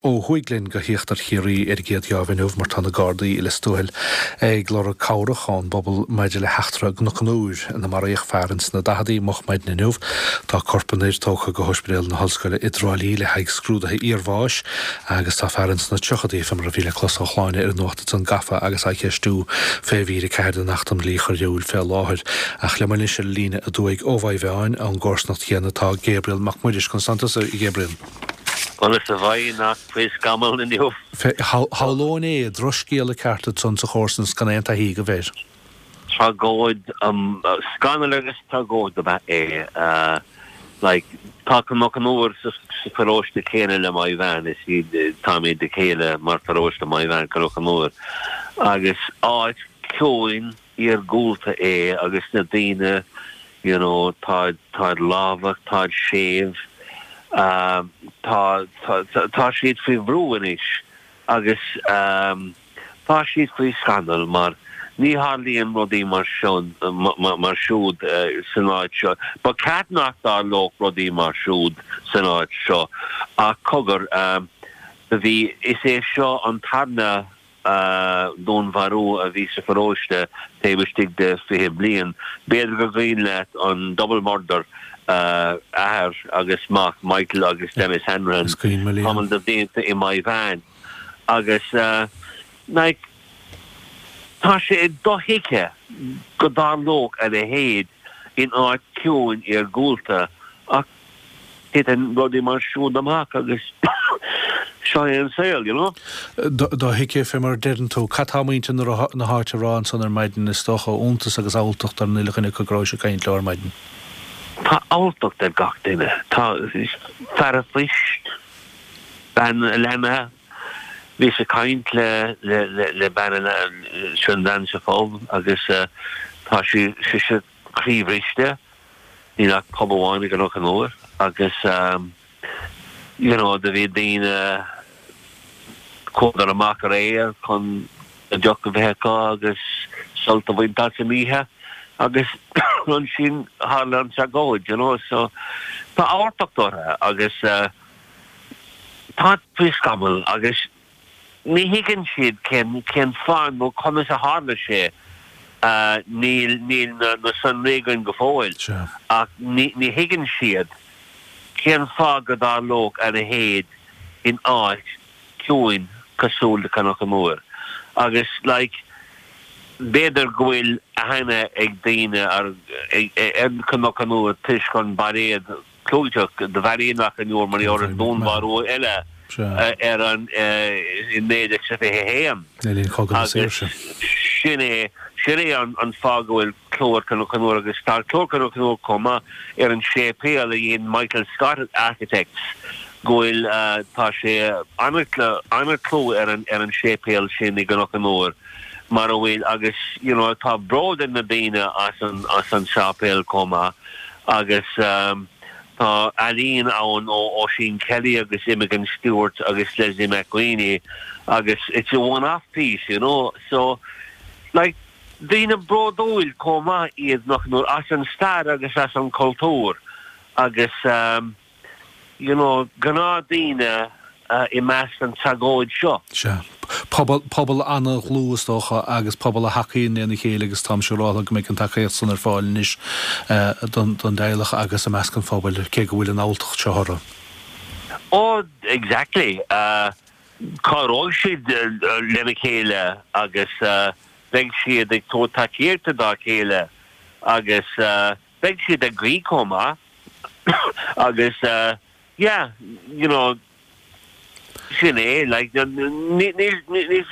Ó thuaidh linn go híochtar Chiarraí ar an gcéad gheábh inniu mar tá na Gardaí i Lios Tuathail ag lorg cabhrach ón bpobal maidir le heachtra i gCnoc an Iúir ina maraíodh fear ins na daicheadaí moch maidin inniu. Tá corp an fhir tógtha go hOspidéal na hOllscoile i dTrá Lí le haghaidh scrúdaithe iarbháis agus tá fear ins na tríochadaí, fé mar a bhí le clos ó Shláine ar an nuacht ansan, gafa agus á cheistiú fé mhír 4 den Acht um Dhlí Choiriúil fé láthair. Ach liom anois ar an líne aduaidh ó Mhaigh Mheáin ón gcomharsanacht chéanna tá Gabriel Mac Muiris. Conas tánn tusa, a Ghabriel? Conas a bheidh nach faoi scamall inniu? Shamhlóinn é, drochscéala ceart ansan sa chomharsanacht gan aon taithí agaibh air. Tragóid, scannal agus tragóid ab ea é. Like, tá Cnoc an Iúir sa pharóiste céanna le Maigh Mheáin, is iad, táimid a chéile mar pharóiste Maigh Mheáin, Cnoc an Iúir. Agus áit ciúin, iargúlta é agus na daoine you know táid, táid lámhach, táid séimh, tá, tá, tá siad faoi bhrú anois agus tá siad faoi scannal mar ní tharlaíonn rudaí mar seo, mar siúd san áit seo. Ba cheart nach dtarlódh rudaí mar siúd san áit seo ach cogar, do bhí, is é seo an tarna dúnmharú a bhí sa pharóiste taobh istigh de 20 bliain. B'fhéidir gur cuimhin leat an double murder, athair agus mac, Michael agus Denis Hanrahan, tamall de bhlianta i Maigh Mheáin. Agus like tá sé dothuigthe go dtarlódh a leithéid in áit ciúin iargúlta ach Titeann rudaí mar siúd amach agus seo é an saol, you know. Dothuigthe, fé mar a deireann tú. Cad tá muintir na háite a rá ansan ar maidin? Is dócha iontas agus alltacht ar an uile dhuine acu go rabhais ag caint leo ar maidin. Tá alltacht ar gach duine. Tá fear a phoist, bean a leanaí. Bhíos ag caint le le bean a sin bhean sa phub agus tá sí sise croíbhriste. Níl ach pub amháin i gCnoc an Iúir agus you know do bhí daoine chuadar amach aréir chun deoch a bheith acu agus sult a bhaint as an oíche agus ansin tharla an tragóid you know so tá alltacht orthu agus tá faoi scamall agus Ní thuigeann siad cén cén fáth nó conas a tharla sé. Níl níl na na sonraí againn go fóill ach ní ní thuigeann siad cén fáth go dtarlódh a leithéid in áit ciúin cosúil le Cnoc an Iúir. Agus like b'fhéidir go bhfuil aithne ag daoine ar ar Cnoc an Iúir toisc an bairéad clúiteach de Bheairí Cnoc an Iúir mar gheall ar dúnmharú eile ar an i 1921. Le linn Chogadh na Saoirse. Sin é, sin é an fáth go bhfuil clú ar Cnoc an Iúir agus tá clú ar Cnoc an Iúir chomh maith ar an séipéal a dhein Michael Scott Architects go bhfuil, tá sé an-chlú ar an ar an séipéal sin i gCnoc an Iúir mar a bhfuil agus you know tá bród ar na daoine as an as an séipéal chomh maith. Agus tá ealaín ann ó Oisín Kelly agus Imogen Stuart agus Leslie McWeeney agus it's a one-off piece, you know. So, like, daoine bródúil chomh maith iad Cnoc an Iúir as an stair agus as an cultúr agus, you know, gnáthdaoine i measc an tragóid seo. Sea. Pobal, pobal an-dhlúth is dócha agus pobal a thacaíonn lena chéile agus táimse ag rá go mbeidh an tacaíocht san ar fáil anois don, don dteaghlach agus i measc an phobail, cé go bhfuil an alltacht seo orthu. Oh, exactly. Cabhróidh siad lena chéile agus beidh siad ag tabhairt tacaíochta dá chéile agus beidh siad ag guí chomh maith agus yeah, you know, sin é, like, ní, ní, ní,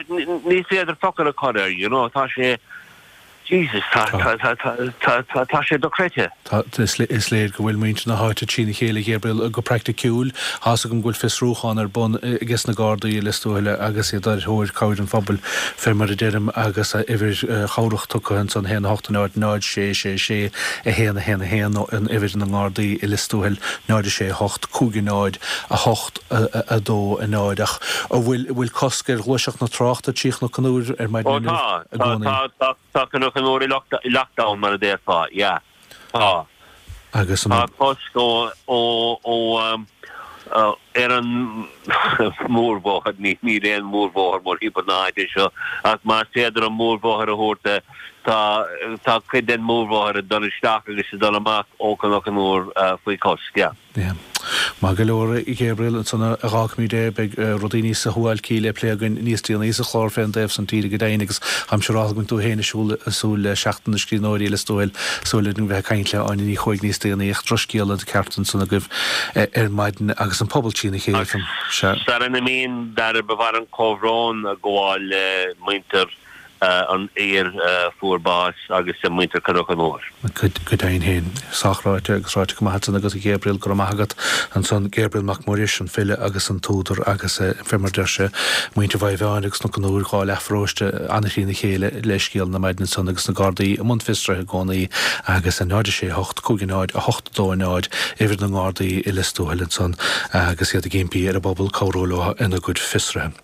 ní féidir focal a chur air, you know, tá sé, Jesus, tá, tá, tá, tá, tá, tá, tá sé dochreidte. Tá, is léir go bhfuil muintir na háite trína chéile, Gabriel, go praiticiúil. Tá's agam go bhfuil fiosrúchán ar bun ages na Gardaí i Lios Tuathail agus iad ar thóir cabhair an phobail, fé mar a deirim, agus uimhir chabhrach tugtha ansan, 1 8 0 0 6 6 6 1 1 1, nó an uimhir na nGardaí i Lios Tuathail, 0 6 8 5 0 8 2 0. Ach an bhfuil, bhfuil cosc ar ghluaiseacht na tráchta trí Chnoc an Iúir ar maidin Ó inniu tá, i tá, gcónaí? tá, tá, tá Cnoc an Iúir i lockdown mar a déarfá, yeah. Tá. Agus an. Tá cosc ó, ó, ó. Ar an mórbhóthar, níl aon mhórbhóthar mórthimpeall na háite seo, ach más féidir an mórbhóthar a thabhairt de, tá, tá cuid den mhórbhóthar ag dul isteach agus ag dul amach ó Chnoc an Iúir faoi chosc, yeah. Yeah. Maith go leor, a Ghabriel, ansan a dh'fhágfaimid é, beidh rudaí níos shuáilcí le plé againn níos déanaí sa chlár fén dtaobh san tíre go deimhin agus táimse siúráilte go mbíonn tú féin ag siúl, ag súil le Seachtain na Scríbhneoirí i Lios Tuathail, súil againn bheith ag caint le Áine Ní Chuaig níos déanaí ach drochscéala ceart ansan agaibh ar maidin agus an pobal trína chéile. Sea. Sara n-imím, Dara, ba mhaith liom comhbhrón a ghabháil le muintir an fhir a fuair bás agus le muintir Chnoc an Iúir. Go deimhin féin. Sách ráite agus ráite go maith ansan agat a Ghabriel, go raibh maith agat. Ansan Gabriel Mac Muiris, an file agus an t-údar agus fé mar deir sé, muintir Mhaigh Mheáin agus Cnoc an Iúir, dhá leathpharóiste an-thrína chéile le scéal na maidne ansan agus na Gardaí i mbun fiosraithe i gcónaí agus 0 6 8 5 0 8 2 0 uimhir na nGardaí i Lios Tuathail ansan agus iad ag impí ar an bpobal cabhrú leo ina gcuid fiosraithe.